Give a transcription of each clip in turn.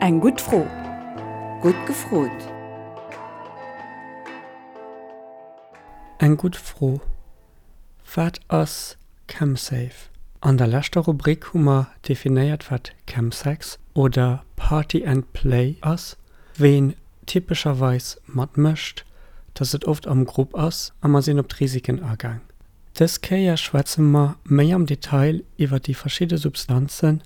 Eng gutt Fro. Gutt gefrot. Eng gutt Fro, Wat ass ChemSafe? An der leschter Rubrik hu mer definéiert wat Chemsex oder Party and Play ass, ween typescherweis matmécht, dass et oft am Grupp ass a mer sinn op d'Risiken agaang. Dës Kéier schwätze mer méi am Detail iwwer déi verschidde Substanzen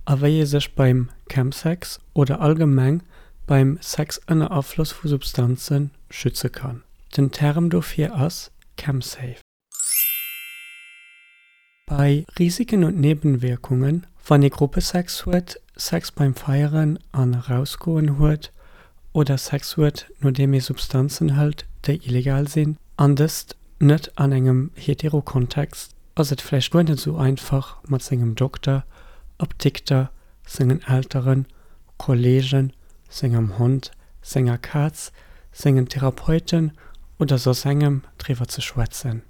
a wéi ee sech beim Chemsex oder allgemeng beim Sex ënner Afloss vu Substanze schütze kann. Den Term dofir ass ChemSafe. Bei Risiken und Nebenwirkungen, wann ee Gruppesex huet, Sex beim Feieren an Erausgoen huet oder Sex huet nodeem ee Substanzen hëlt déi illegal sinn, an dëst net an engem hetero Kontext, ass et vläicht guer net esou einfach mat sengem Dokter, Apdikter, sengen Elteren, Kollegen, sengem Hond, senger Kaz, sengen Therapeuten oder soss engem driwwer ze schwätzen.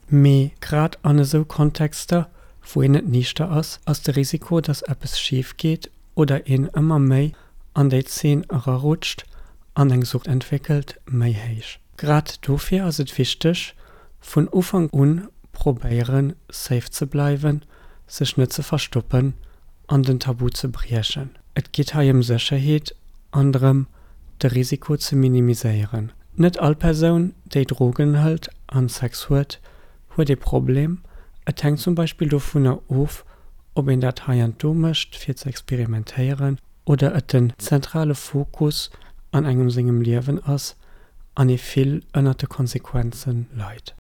Mee grad an esou Kontexter, wou een net niichter ass, ass de Risiko, dass eppes schif geet oder een ëmmer méi an déi Zeen erarutscht an eng Sucht entwéckelt, méi héich. Grad dofir ass et wichteg, vun Ufank un probéieren, safe ze bleiwen, sech net ze verstoppen an den Tabu ze briechen. Et geet hei ëm Sécherheet an drëm, de Risiko ze minimiséieren. Net all Persoun, déi Drogen hëlt an Sex huet, huet ee Problem. Et hänkt zum Beispill dovunner of, ob een dat heiansdo mécht fir ze experimentéieren oder et den zentrale Fokus an engem sengem Liewen ass an ee vill ënnert de Konsequenze leit.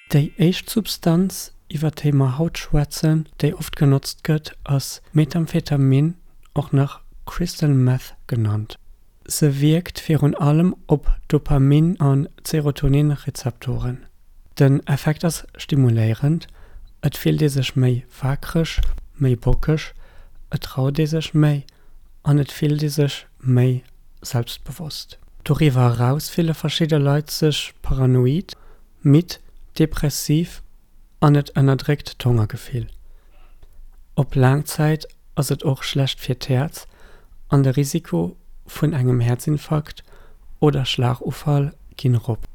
Déi éischt Substanz, iwwer déi mer haut schwätzen, déi oft genotzt gëtt, ass Methamphetamin, och nach Crystal Meth genannt. Se wierkt virun allem op Dopamin a Serotonin-Rezeptoren. Den Effekt ass stimuléierend, et fillt ee sech méi waakreg, méi bockeg, et traut ee sech méi an et fillt ee sech méi selbstbewosst. Doriwwer eraus fille verschidde Leit sech paranoid, midd, depressiv an et ënnerdréckt d'Hongergefill. Op laang Zäit ass et och schlecht fir d'Häerz an de Risiko vun engem Häerzinfarkt oder Schlagufall ginn erop.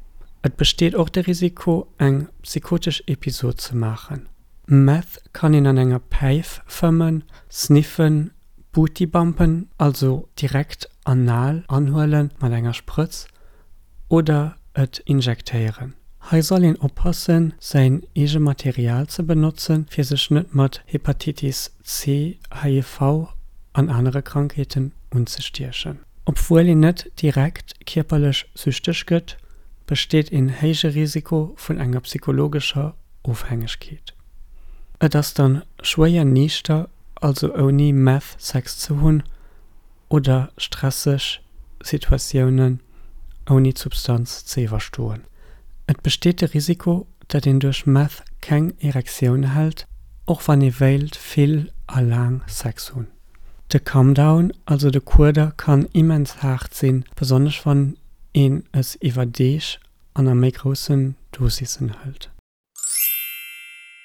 Et besteet och de Risiko eng psychotesch Episod ze maachen. Meth kann een an enger Päif fëmmen, sniffen, Booty-Bumpen, also direkt anal anhuelen mat enger Sprëtz, oder et injektéieren. Hei soll een oppassen säin eege Material ze benotzen fir sech net mat Hepatitis C, HIV an anere Krankheeten unzestiechen. Obwuel een net direkt kierperlech süchteg gëtt, besteet een héije Risiko vun enger psychologescher Ofhängegkeet. Et ass dann schwéier niichter, also ouni Meth Sex ze hunn oder stresseg Situatiounen ouni d'Substanz ze iwwerstoen. Et besteet de Risiko, datt een duerch Meth keng Erektioun hält, och wann ee wéilt vill a laang Sex hunn. De Comedown, also de Kueder, kann immens haart sinn, besonnesch wann een es iwwer Deeg an a méi groussen Dosissen hëlt.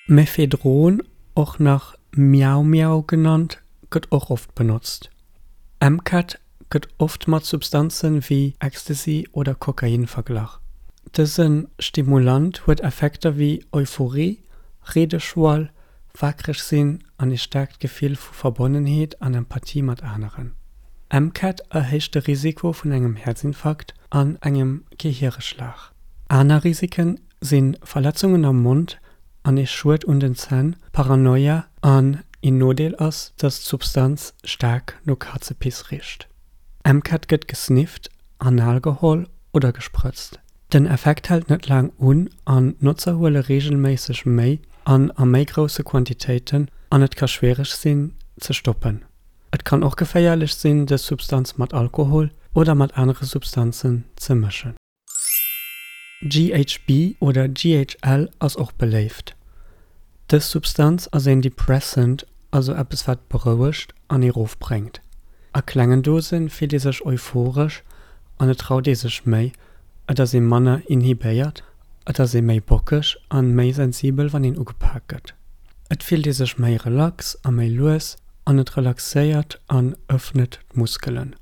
Mephedron, och nach Miau Miau genannt, gëtt och oft benotzt. MCAT gëtt oft mat Substanzen wéi Ecstasy oder Kokain verglach. Dëse Stimulant huet Effekter wéi Euphorie, Reedeschwall, waakreg sinn an ee staarkt Gefill vu Verbonnenheet an Empathie mat aneren. MCAT erhéicht de Risiko vun engem Häerzinfarkt an engem Gehiereschlag. Aner Risiken si Verletzungen am Mond an ee Schued un den Zänn, Paranoia an een Nodeel ass, dass d'Substanz staark no Kazepiss richt. MCAT gëtt gesnifft, anal geholl oder gesprëtzt. Den Effekt hält net laang un an d'Notzer huele reegelméisseg méi an a méi grousse Quantitéiten an et ka schwiereg sinn ze stoppen. Et kann och geféierlech sinn dës Substanz mat Alkohol oder mat anere Substanzen ze mëschen. GHB oder GHL ass och beléift. Dës Substanz ass een Depressant, also eppes wat berouegt an ee rofbréngt. A klengen Dose fillt ee sech euphoresch an et traut ee sech méi, et ass ee manner inhibéiert, et ass ee méi bockeg an méi sensibel wann een ugepak gëtt. Et fillt ee sech méi relax a méi lues. An et relaxéiert an ëffnet d'Muskelen.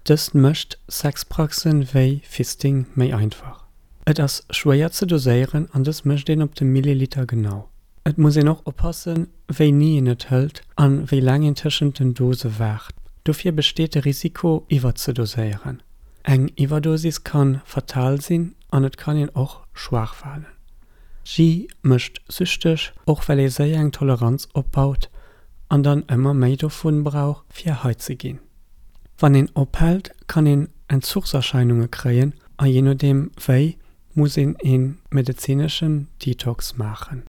Dëst mécht Sexpraxen wéi Fisting méi einfach. Et ass schwéier ze doséieren an dës mécht een op de Milliliter genau. Et muss een och oppassen, wéini een et hëlt an wéi laang een tëschent den Dose waart. Dofir besteet de Risiko iwwerzedoséieren. Eng Iwwerdosis kann fatal sinn an et kann een och schwaach falen. G mécht süchteg, och well ee séier eng Toleranz opbaut an dann ëmmer méi dovun brauch fir high ze ginn. Wann een ophält, kann een Entzuchserscheinunge kréien a jee nodeem wéi, muss een ee medezineschen Detox maachen.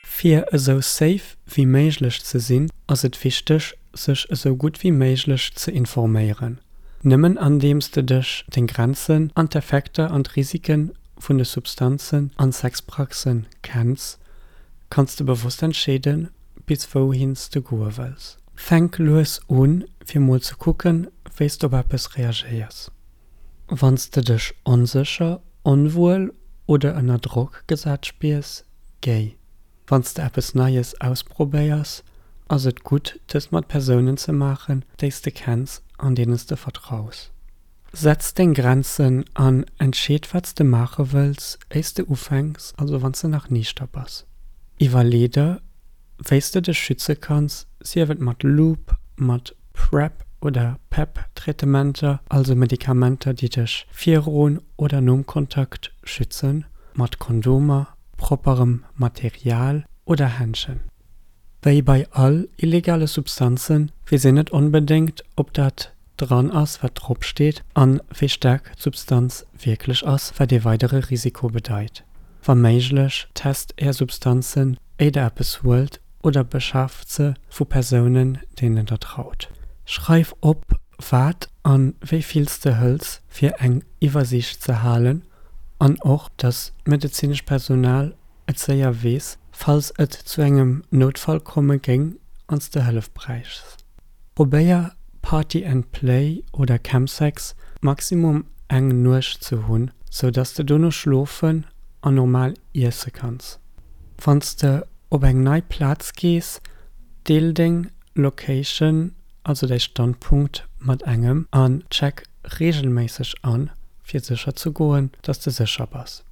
Fir esou safe wéi méiglech ze sinn, ass et wichteg, sech esou gutt wéi méiglech ze informéieren. Nëmmen andeems de dech, deng Grenzen an d'Effekter an d'Risike vun de Substanzen an Sexpraxen kenns, kanns de bewosst entscheeden, bis wouhin s de goe wëlls. Fänk lues un, fir mol ze kucken, wéi s de op eppes reagéiers. Wann s de dech onsécher, onwuel oder ënner Drock gesat spiers, géi. Wann s de eppes Neies ausprobéiers, ass et gutt, dëst mat Persounen ze maachen, déi s de kenns an deenen s de vertraus. Setz deng Grenzen an entscheet wat s de maache wëlls, éiers de ufänks, also wann s de nach niichter bass. Iwwerlee der, wéi s de dech schütze kanns, sief et mat Lube, mat PrEP oder PEP-Traitementer, also Medikamenter, déi dech virun oder nom Kontakt schützen, mat Kondomer, propperem Material oder Händschen. Wéi bei all illegale Substanze weess een net onbedéngt, ob dat dran ass, wat drop steet an wéi staark d'Substanz wierklech ass, wat ee weidere Risiko bedeit. Wa méiglech, test Är Substanzen, éier Der eppes huelt oder beschaaft se vu Persounen, deenen Der traut. Schreif op, wat an wéi vill s de hëls, fir eng Iwwersiicht ze halen an och, dass d'medezinescht Personal et séier weess, falls et zu engem Noutfall komme géing an s de Hëllef bräichs. Probéier Party and Play oder Chemsex maximum eng Nuecht ze hunn, sou dass de dono schlofen an normal iesse kanns. Wann s de op eng nei Plaz gees, deel deng Location, also däi Standpunkt, mat engem an check reegelméisseg an, fir sécher ze goen, dass de sécher bass.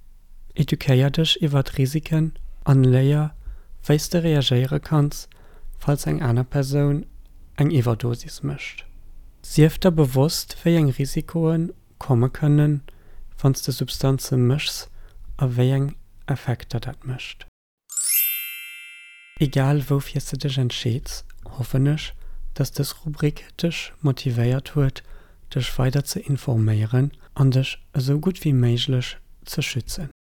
Eduquéier dech iwwert Risiken an léier, wéi s de reagéiere kanns, falls eng aner Persoun eng Iwwerdosis mécht. Sief der bewosst, wéi eng Risikoe komme kënnen, wann s de Substanze méchs a wéi eng Effekter dat mécht. Egal woufir s de dech entscheeds, hoffen ech, dass dës Rubrik dech motivéiert huet, dech weider ze informéieren an dech esou gutt wéi méiglech ze schützen.